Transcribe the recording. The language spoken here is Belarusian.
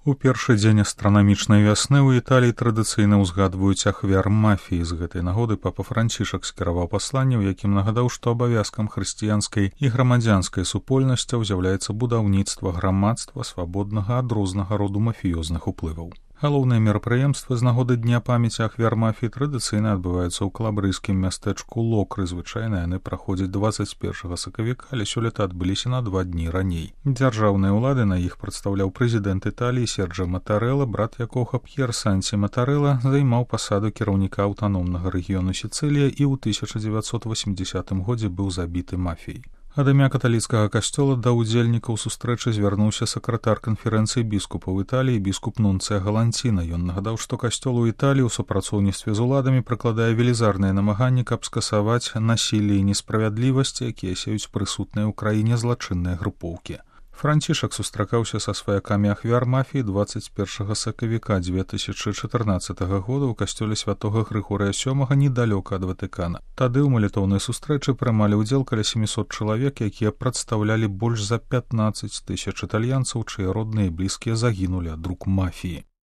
У першы дзень астранамічнай вясны ў Італіі традыцыйна ўзгадваюць ахвяр мафіі. З гэтай нагоды папа Францішак скіраваў пасланне, у якім нагадаў, што абавязкам хрысціянскай і грамадзянскай супольнасцяў з'яўляецца будаўніцтва грамадства, свабоднага ад рознага роду мафіёзных уплываў. Галоўныя мерапрыемствы з нагоды дня памяці ахвяр мафіі традыцыйна адбываюцца ў калабрыйскім мястэчку Локры. Звычайна яны праходзяць 21 сакавіка, але сёлета адбыліся на 2 дні раней. Дзяржаўныя ўлады на іх прадстаўляў прэзідэнт Італіі Серджа Матарэла, брат якога П'ер Санці Матарэла займаў пасаду кіраўніка аўтаномнага рэгіёну Сіцылія і ў 1980 годзе быў забіты мафіяй. Ад імя каталіцкага касцёла да ўдзельнікаў сустрэчы звярнуўся сакратар канферэнцыі біскупаў Італіі біскуп Нунцыя Галанціна. Ён нагадаў, што касцёл у Італіі ў супрацоўніцтве з уладамі прыкладае велізарныя намаганні, каб скасаваць насілле і несправядлівасці, якія сеюць прысутныя ў краіне злачынныя групоўкі. Францішак сустракаўся са сваякамі ахвяр мафіі 21 сакавіка 2014 года ў касцёле святога Грыгорыя VII недалёка ад Ватыкана. Тады ў малітоўнай сустрэчы прымалі ўдзел каля 700 чалавек, якія прадстаўлялі больш за 15 000 італьянцаў, чые родныя і блізкія загінулі ад рук мафіі.